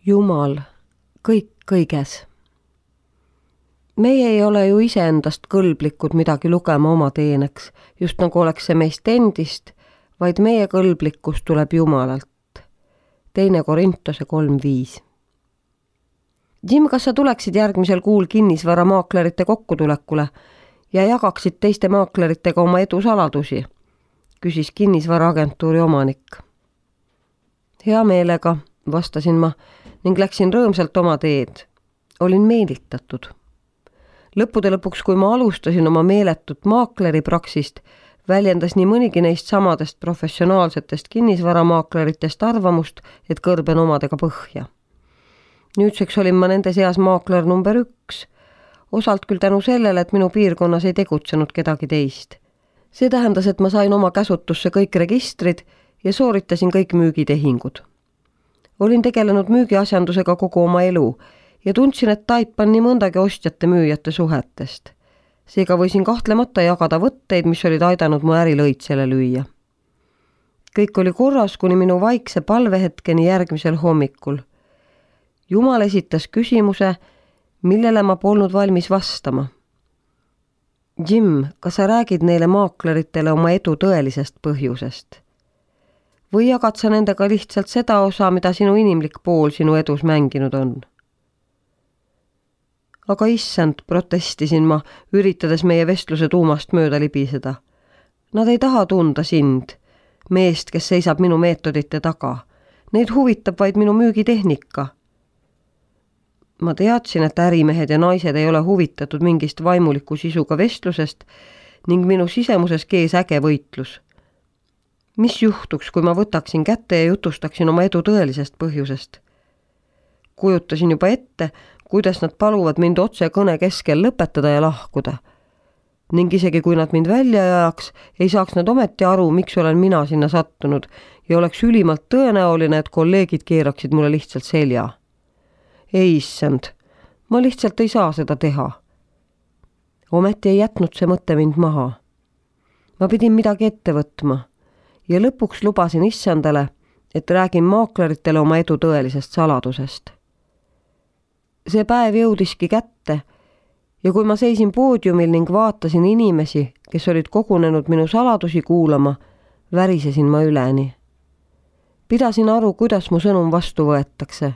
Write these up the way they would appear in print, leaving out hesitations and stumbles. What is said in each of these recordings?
Jumal, kõik kõiges. Meie ei ole ju iseendast kõlblikud midagi lugema oma teeneks, just nagu oleks see meist endist, vaid meie kõlblikkus tuleb Jumalalt. 2 Korintuse 3:5. Jim, kas sa tuleksid järgmisel kuul kinnisvaramaaklerite kokkutulekule ja jagaksid teiste maakleritega oma edu saladusi? Küsis kinnisvaraagentuuri omanik. Hea meelega, vastasin ma ning läksin rõõmsalt oma teed. Olin meelitatud. Lõppude lõpuks, kui ma alustasin oma meeletut maakleripraksist, väljendas nii mõnigi neist samadest professionaalsetest kinnisvaramaakleritest arvamust, et kõrben omadega põhja. Nüüdseks olin ma nende seas maakler number 1, osalt küll tänu sellele, et minu piirkonnas ei tegutsenud kedagi teist. See tähendas, et ma sain oma käsutusse kõik registrid ja sooritasin kõik müügitehingud. Olin tegelenud müügiasjandusega kogu oma elu ja tundsin, et taipan nii mõndagi ostjate-müüjate suhetest. Seega võisin kahtlemata jagada võtteid, mis olid aidanud mu äri lõitsele lüüa. Kõik oli korras kuni minu vaikse palvehetkeni järgmisel hommikul. Jumal esitas küsimuse, millele ma polnud valmis vastama. Jim, kas sa räägid neile maakleritele oma edu tõelisest põhjusest? Või jagad sa nendega lihtsalt seda osa, mida sinu inimlik pool sinu edus mänginud on? Aga issand, protestisin ma, üritades meie vestluse tuumast mööda libiseda. Nad ei taha tunda sind, meest, kes seisab minu meetodite taga. Neid huvitab vaid minu müügitehnika. Ma teadsin, et ärimehed ja naised ei ole huvitatud mingist vaimuliku sisuga vestlusest ning minu sisemuses kees äge võitlus. Mis juhtuks, kui ma võtaksin kätte ja jutustaksin oma edu tõelisest põhjusest? Kujutasin juba ette, kuidas nad paluvad mind otse kõne keskel lõpetada ja lahkuda. Ning isegi kui nad mind välja ajaks, ei saaks nad ometi aru, miks olen mina sinna sattunud ja oleks ülimalt tõenäoline, et kolleegid keeraksid mulle lihtsalt selja. Ei issand, ma lihtsalt ei saa seda teha. Ometi ei jätnud see mõte mind maha. Ma pidin midagi ette võtma ja lõpuks lubasin issandale, et räägin maakleritele oma edu tõelisest saladusest. See päev jõudiski kätte ja kui ma seisin poodiumil ning vaatasin inimesi, kes olid kogunenud minu saladusi kuulama, värisesin ma üleni. Pidasin aru, kuidas mu sõnum vastu võetakse.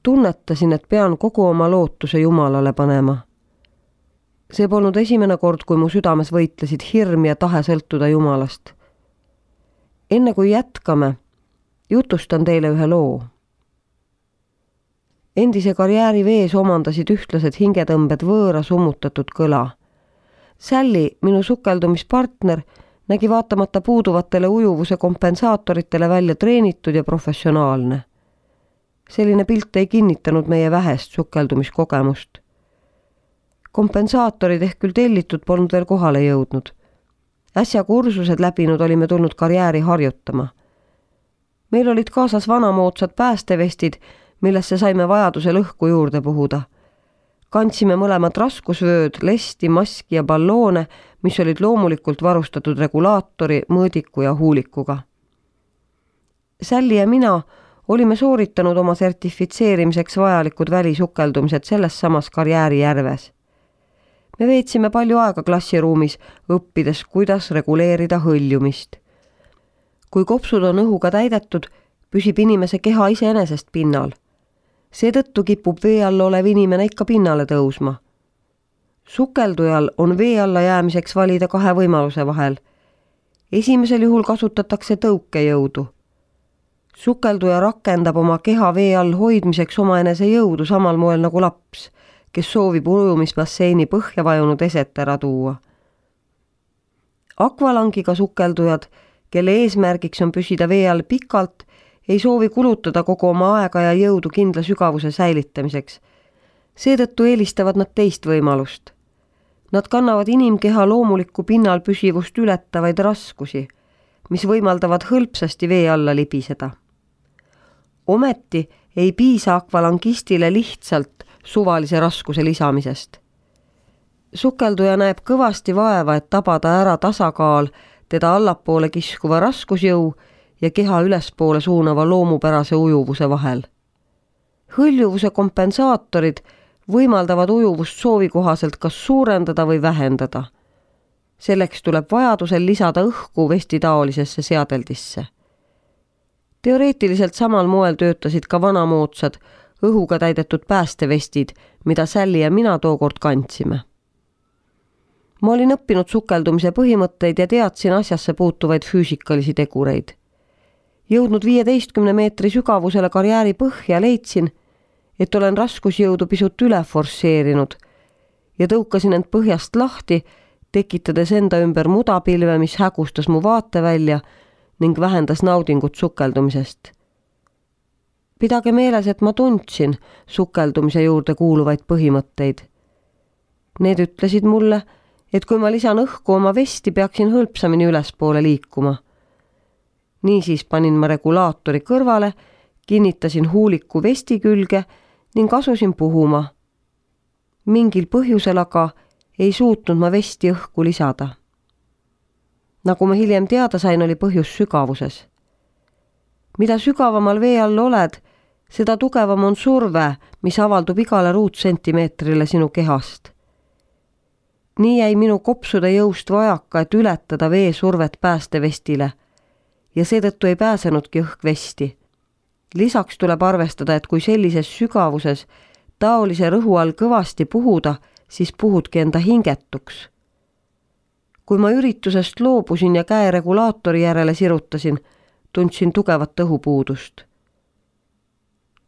Tunnetasin, et pean kogu oma lootuse Jumalale panema. See polnud esimene kord, kui mu südames võitlesid hirm ja tahe sõltuda Jumalast. Enne kui jätkame, jutustan teile ühe loo. Endise karjääri vees omandasid ühtlased hingetõmbed võõra summutatud kõla. Sally, minu sukeldumispartner, nägi vaatamata puuduvatele ujuvuse kompensaatoritele välja treenitud ja professionaalne. Selline pilt ei kinnitanud meie vähest sukeldumiskogemust. Kompensaatorid ehk küll tellitud polnud veel kohale jõudnud. Äsja kursused läbinud olime tulnud karjääri harjutama. Meil olid kaasas vanamoodsad päästevestid, millesse saime vajaduse lõhku juurde puhuda. Kandsime mõlemad raskusvööd, lesti, maski ja balloone, mis olid loomulikult varustatud regulaatori, mõõdiku ja huulikuga. Sally ja mina olime sooritanud oma sertifitseerimiseks vajalikud välisukeldumised selles samas karjäärijärves. Me veetsime palju aega klassiruumis, õppides, kuidas reguleerida hõljumist. Kui kopsud on õhuga täidetud, püsib inimese keha iseenesest pinnal. Seetõttu kipub vee all olev inimene ikka pinnale tõusma. Sukeldujal on vee alla jäämiseks valida 2 võimaluse vahel. Esimesel juhul kasutatakse tõukejõudu. Sukelduja rakendab oma keha vee all hoidmiseks omaenese jõudu samal moel nagu laps, kes soovib ujumisbasseini põhja vajunud eset ära tuua. Akvalangiga sukeldujad, kelle eesmärgiks on püsida vee all pikalt, ei soovi kulutada kogu oma aega ja jõudu kindla sügavuse säilitamiseks. Seetõttu eelistavad nad teist võimalust. Nad kannavad inimkeha loomulikku pinnal püsivust ületavaid raskusi, mis võimaldavad hõlpsasti vee alla libiseda. Ometi ei piisa akvalangistile lihtsalt suvalise raskuse lisamisest. Sukelduja näeb kõvasti vaeva, et tabada ära tasakaal teda allapoole kiskuva raskusjõu ja keha ülespoole suunava loomupärase ujuvuse vahel. Hõljuvuse kompensaatorid võimaldavad ujuvust soovikohaselt kas suurendada või vähendada. Selleks tuleb vajadusel lisada õhku vestitaolisesse seadeldisse. Teoreetiliselt samal moel töötasid ka vanamoodsad õhuga täidetud päästevestid, mida Sally ja mina tookord kandsime. Ma olin õppinud sukeldumise põhimõtteid ja teadsin asjasse puutuvaid füüsikalisi tegureid. Jõudnud 15 meetri sügavusele karjääri põhja leidsin, et olen raskusjõudu pisut üle forsseerinud ja tõukasin end põhjast lahti, tekitades enda ümber mudapilve, mis hägustas mu vaatevälja ning vähendas naudingut sukeldumisest. Pidage meeles, et ma tundsin sukeldumise juurde kuuluvaid põhimõtteid. Need ütlesid mulle, et kui ma lisan õhku oma vesti, peaksin hõlpsamini ülespoole liikuma. Niisiis panin ma regulaatori kõrvale, kinnitasin huuliku vesti külge ning asusin puhuma. Mingil põhjusel aga ei suutnud ma vesti õhku lisada. Nagu ma hiljem teada sain, oli põhjus sügavuses. Mida sügavamal vee all oled, seda tugevam on surve, mis avaldub igale ruutsentimeetrile sinu kehast. Nii jäi minu kopsude jõust vajaka, et ületada vee survet päästevestile ja seetõttu ei pääsenudki õhkvesti. Lisaks tuleb arvestada, et kui sellises sügavuses taolise rõhu all kõvasti puhuda, siis puhudki enda hingetuks. Kui ma üritusest loobusin ja käe regulaatori järele sirutasin, tundsin tugevat õhupuudust.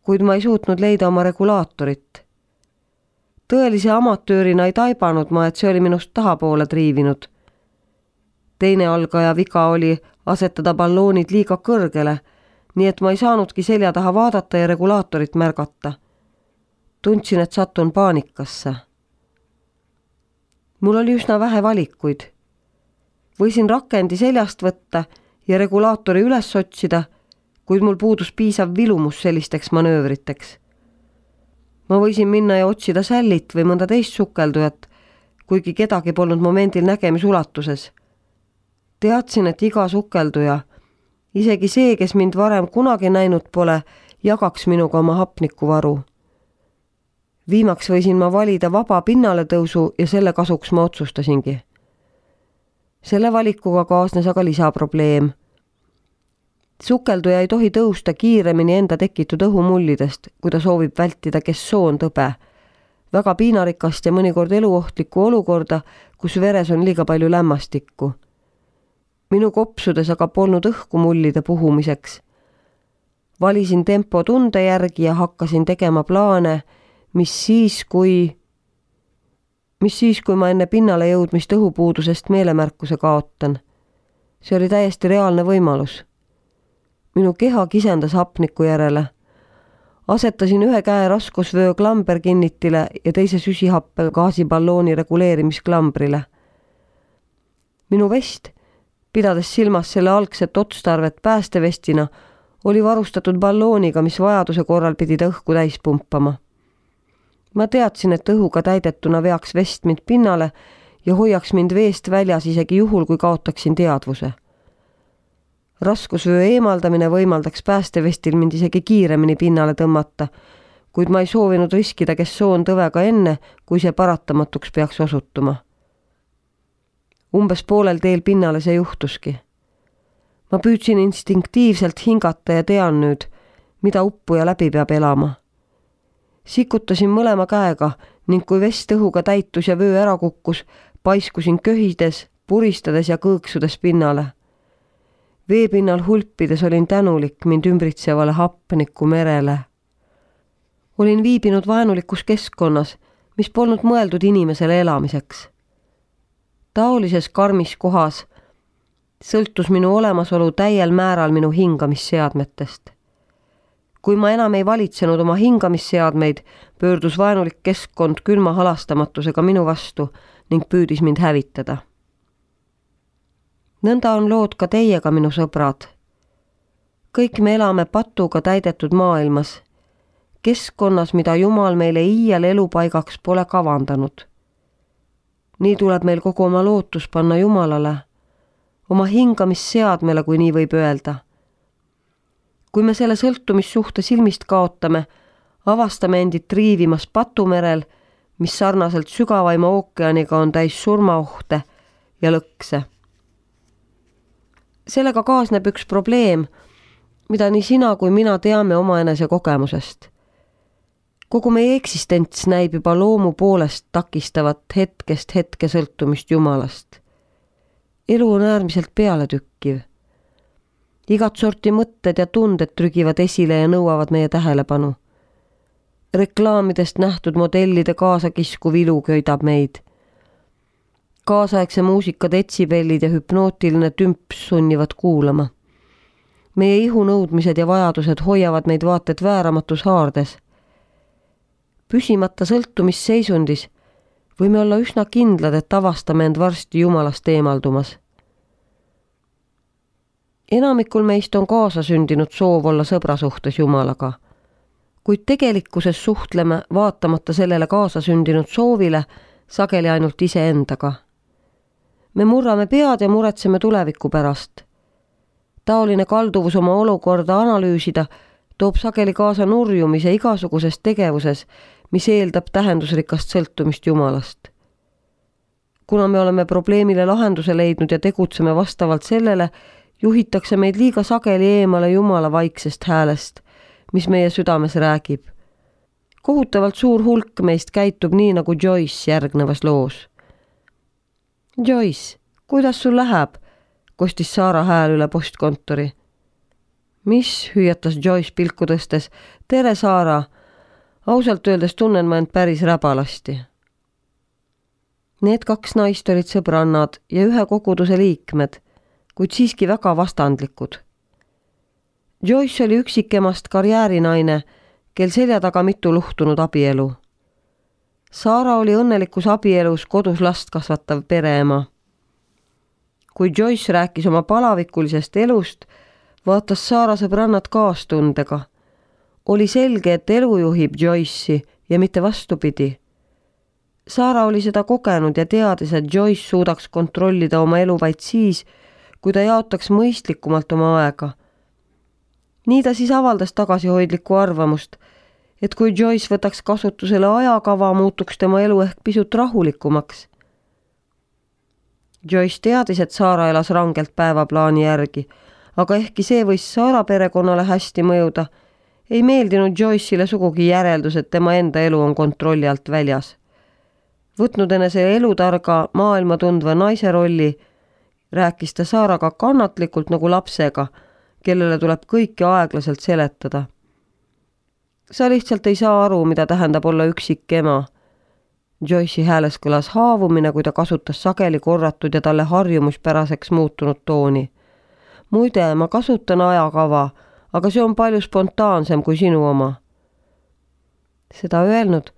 Kuid ma ei suutnud leida oma regulaatorit. Tõelise amatöörina ei taibanud ma, et see oli minust tahapoole triivinud. Teine algaja viga oli asetada balloonid liiga kõrgele, nii et ma ei saanudki selja taha vaadata ja regulaatorit märgata. Tundsin, et satun paanikasse. Mul oli üsna vähe valikuid. Võisin rakendi seljast võtta ja regulaatori üles otsida, kuid mul puudus piisav vilumus sellisteks manöövriteks. Ma võisin minna ja otsida Sallyt või mõnda teist sukeldujat, kuigi kedagi polnud momendil nägemisulatuses. Teadsin, et iga sukelduja, isegi see, kes mind varem kunagi näinud pole, jagaks minuga oma hapnikuvaru. Viimaks võisin ma valida vaba pinnale tõusu ja selle kasuks ma otsustasingi. Selle valikuga kaasnes aga lisaprobleem. Sukelduja ei tohi tõusta kiiremini enda tekitud õhumullidest, kui ta soovib vältida kessoon-tõbe, väga piinarikast ja mõnikord eluohtlikku olukorda, kus veres on liiga palju lämmastikku. Minu kopsudes aga polnud õhku mullide puhumiseks. Valisin tempo tunde järgi ja hakkasin tegema plaane, mis siis, kui ma enne pinnale jõudmist õhupuudusest meelemärkuse kaotan. See oli täiesti reaalne võimalus. Minu keha kisendas hapniku järele. Asetasin ühe käe raskusvöö klamberkinnitile ja teise süsihappe gaasiballooni reguleerimisklamberile. Minu vest, pidades silmas selle algset otstarvet päästevestina, oli varustatud ballooniga, mis vajaduse korral pidi ta õhku täis pumpama. Ma teadsin, et õhuga täidetuna veaks vest mind pinnale ja hoiaks mind veest väljas isegi juhul, kui kaotaksin teadvuse. Raskusvöö eemaldamine võimaldaks päästevestil mind isegi kiiremini pinnale tõmmata, kuid ma ei soovinud riskida kessoon-tõvega enne, kui see paratamatuks peaks osutuma. Umbes poolel teel pinnale see juhtuski. Ma püüdsin instinktiivselt hingata ja tean nüüd, mida uppuja läbi peab elama. Sikutasin mõlema käega ning kui vest õhuga täitus ja vöö ära kukkus, paiskusin köhides, puristades ja kõõksudes pinnale. Veepinnal hulpides olin tänulik mind ümbritsevale hapniku merele. Olin viibinud vaenulikus keskkonnas, mis polnud mõeldud inimesele elamiseks. Taolises karmis kohas sõltus minu olemasolu täiel määral minu hingamisseadmetest. Kui ma enam ei valitsenud oma hingamisseadmeid, pöördus vaenulik keskkond külma halastamatusega minu vastu ning püüdis mind hävitada. Nõnda on lood ka teiega, minu sõbrad. Kõik me elame patuga täidetud maailmas, keskkonnas, mida Jumal meile iial elupaigaks pole kavandanud. Nii tuleb meil kogu oma lootus panna Jumalale, oma hingamisseadmele, kui nii võib öelda. Kui me selle sõltumissuhte silmist kaotame, avastame endid triivimas patumerel, mis sarnaselt sügavaima ookeaniga on täis surmaohte ja lõkse. Sellega kaasneb üks probleem, mida nii sina kui mina teame omaenese kogemusest. Kogu meie eksistents näib juba loomu poolest takistavat hetkest hetke sõltumist Jumalast. Elu on äärmiselt pealetükkiv. Igat sorti mõtted ja tunded trügivad esile ja nõuavad meie tähelepanu. Reklaamidest nähtud modellide kaasakiskuv ilu köidab meid. Kaasaegse muusika detsibellid ja hüpnootiline tümps sunnivad kuulama. Meie ihunõudmised ja vajadused hoiavad meid vaated vääramatus haardes. Püsimata sõltumisseisundis võime olla üsna kindlad, et avastame end varsti Jumalast eemaldumas. Enamikul meist on kaasasündinud soov olla sõbra suhtes Jumalaga, kuid tegelikkuses suhtleme vaatamata sellele kaasasündinud soovile sageli ainult iseendaga. Me murrame pead ja muretseme tuleviku pärast. Taoline kalduvus oma olukorda analüüsida toob sageli kaasa nurjumise igasuguses tegevuses, mis eeldab tähendusrikast sõltumist Jumalast. Kuna me oleme probleemile lahenduse leidnud ja tegutseme vastavalt sellele, juhitakse meid liiga sageli eemale Jumala vaiksest häälest, mis meie südames räägib. Kohutavalt suur hulk meist käitub nii nagu Joyce järgnevas loos. Joyce, kuidas sul läheb? Kostis Saara hääl üle postkontori. Mis, hüüatas Joyce pilku tõstes. Tere, Saara! Ausalt öeldes tunnen ma end päris räbalasti. Need kaks naist olid sõbrannad ja ühe koguduse liikmed, kuid siiski väga vastandlikud. Joyce oli üksikemast karjäärinaine, kel selja taga mitu luhtunud abielu. Saara oli õnnelikus abielus kodus last kasvatav pereema. Kui Joyce rääkis oma palavikulisest elust, vaatas Saara sõbrannad kaastundega. Oli selge, et elu juhib Joyce'i ja mitte vastupidi. Saara oli seda kogenud ja teadis, et Joyce suudaks kontrollida oma elu vaid siis, kui ta jaotaks mõistlikumalt oma aega. Nii ta siis avaldas tagasihoidlikku arvamust, et kui Joyce võtaks kasutusele ajakava, muutuks tema elu ehk pisut rahulikumaks. Joyce teadis, et Saara elas rangelt päevaplaani järgi, aga ehkki see võis Saara perekonnale hästi mõjuda, ei meeldinud Joyce'ile sugugi järeldus, et tema enda elu on kontrolli alt väljas. Võtnud enese elutarga maailma tundva naise rolli, rääkis ta Saaraga kannatlikult nagu lapsega, kellele tuleb kõike aeglaselt seletada. Sa lihtsalt ei saa aru, mida tähendab olla üksik ema. Joyce'i hääles kõlas haavumine, kui ta kasutas sageli korratud ja talle harjumuspäraseks muutunud tooni. Muide, ma kasutan ajakava, aga see on palju spontaansem kui sinu oma. Seda öelnud,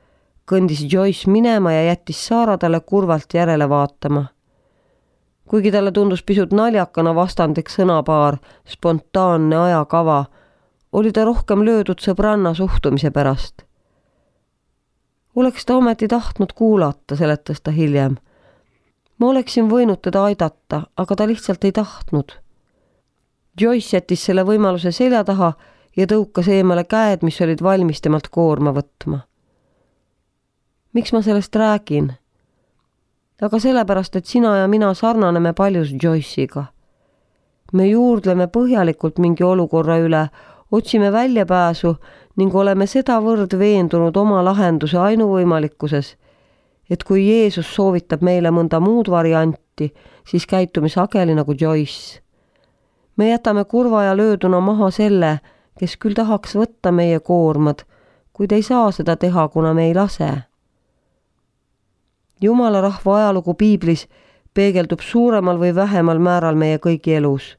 kõndis Joyce minema ja jättis Saara talle kurvalt järele vaatama. Kuigi talle tundus pisut naljakana vastandlik sõnapaar, spontaanne ajakava, oli ta rohkem löödud sõbranna suhtumise pärast. Oleks ta ometi tahtnud kuulata, seletas ta hiljem. Ma oleksin võinud teda aidata, aga ta lihtsalt ei tahtnud. Joyce jättis selle võimaluse selja taha ja tõukas eemale käed, mis olid valmis temalt koorma võtma. Miks ma sellest räägin? Aga sellepärast, et sina ja mina sarnaneme paljus Joyce'iga. Me juurdleme põhjalikult mingi olukorra üle, otsime väljapääsu ning oleme sedavõrd veendunud oma lahenduse ainuvõimalikkuses, et kui Jeesus soovitab meile mõnda muud varianti, siis käitume sageli nagu Joyce. Me jätame kurva ja lööduna maha selle, kes küll tahaks võtta meie koormad, kuid ei saa seda teha, kuna me ei lase. Jumala rahva ajalugu piiblis peegeldub suuremal või vähemal määral meie kõigi elus.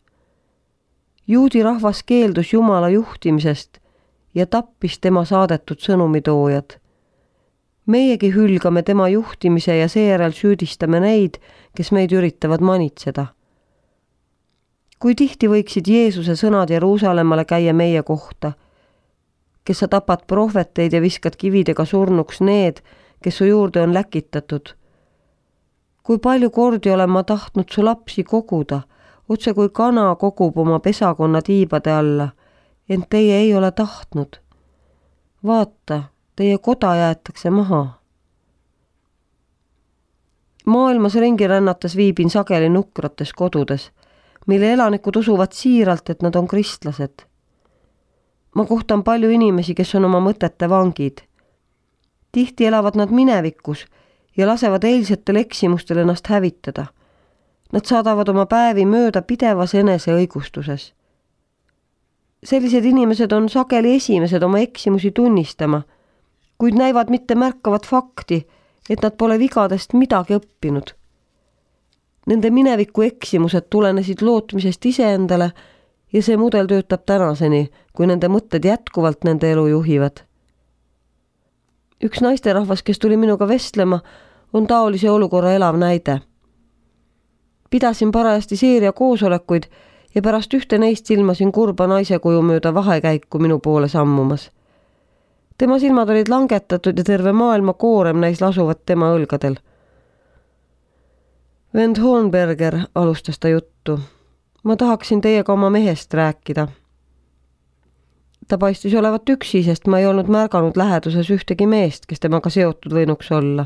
Juudi rahvas keeldus Jumala juhtimisest ja tappis tema saadetud sõnumitoojad. Meiegi hülgame tema juhtimise ja seejärel süüdistame neid, kes meid üritavad manitseda. Kui tihti võiksid Jeesuse sõnad Jeruusalemmale käia meie kohta, kes sa tapad prohveteid ja viskad kividega surnuks need, kes su juurde on läkitatud. Kui palju kordi olen ma tahtnud su lapsi koguda, otse kui kana kogub oma pesakonna tiibade alla, ent teie ei ole tahtnud. vaata, teie koda jäetakse maha. Maailmas ringi rännates viibin sageli nukrates kodudes, mille elanikud usuvad siiralt, et nad on kristlased. Ma kohtan palju inimesi, kes on oma mõtete vangid. Tihti elavad nad minevikus ja lasevad eilsetel eksimustel ennast hävitada. Nad saadavad oma päevi mööda pidevas eneseõigustuses. Sellised inimesed on sageli esimesed oma eksimusi tunnistama, kuid näivad mitte märkavat fakti, et nad pole vigadest midagi õppinud. Nende mineviku eksimused tulenesid lootmisest iseendale ja see mudel töötab tänaseni, kui nende mõtted jätkuvalt nende elu juhivad. Üks naisterahvas, kes tuli minuga vestlema, on taolise olukorra elav näide. Pidasin parajasti seeria koosolekuid ja pärast ühte neist silmasin kurba naise kuju mööda vahekäiku minu poole sammumas. Tema silmad olid langetatud ja terve maailma koorem näis lasuvat tema õlgadel. Vend Hornberger, alustas ta juttu. Ma tahaksin teiega oma mehest rääkida. Ta paistis olevat üksi, sest ma ei olnud märganud läheduses ühtegi meest, kes temaga seotud võinuks olla.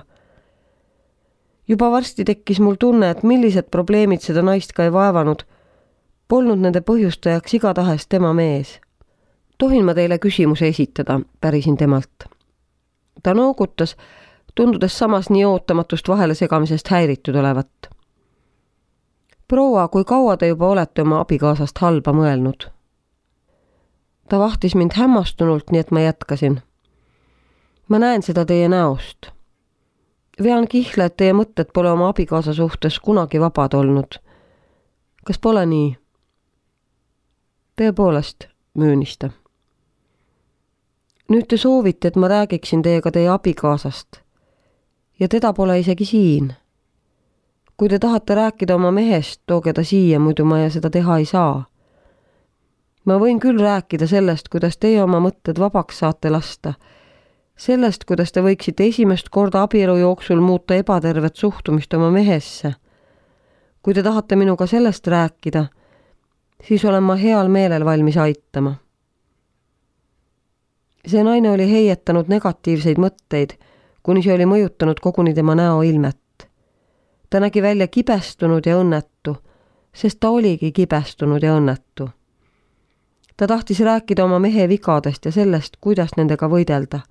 Juba varsti tekkis mul tunne, et millised probleemid seda naist ka ei vaevanud, polnud nende põhjustajaks igatahes tema mees. Tohin ma teile küsimuse esitada, pärisin temalt. Ta noogutas, tundudes samas nii ootamatust vahele segamisest häiritud olevat. Proua, kui kaua te juba olete oma abikaasast halba mõelnud? Ta vahtis mind hämmastunult, nii et ma jätkasin. Ma näen seda teie näost. Vean kihla, et teie mõtted pole oma abikaasa suhtes kunagi vabad olnud. Kas pole nii? Tõepoolest, möönis ta. Nüüd te soovite, et ma räägiksin teiega teie abikaasast. Ja teda pole isegi siin. Kui te tahate rääkida oma mehest, tooge ta siia, muidu ma seda teha ei saa. Ma võin küll rääkida sellest, kuidas teie oma mõtted vabaks saate lasta. Sellest, kuidas te võiksite esimest korda abielu jooksul muuta ebatervet suhtumist oma mehesse. Kui te tahate minuga sellest rääkida, siis olen ma heal meelel valmis aitama. See naine oli heietanud negatiivseid mõtteid, kuni see oli mõjutanud koguni tema näoilmet. Ta nägi välja kibestunud ja õnnetu, sest ta oligi kibestunud ja õnnetu. Ta tahtis rääkida oma mehe vigadest ja sellest, kuidas nendega võidelda.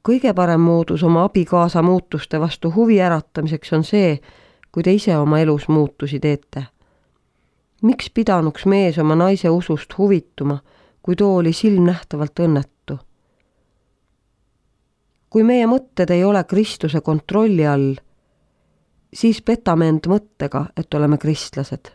Kõige parem moodus oma abikaasa muutuste vastu huvi äratamiseks on see, kui te ise oma elus muutusi teete. Miks pidanuks mees oma naise usust huvituma, kui too oli silmnähtavalt õnnetu? Kui meie mõtted ei ole Kristuse kontrolli all, siis petame end mõttega, et oleme kristlased.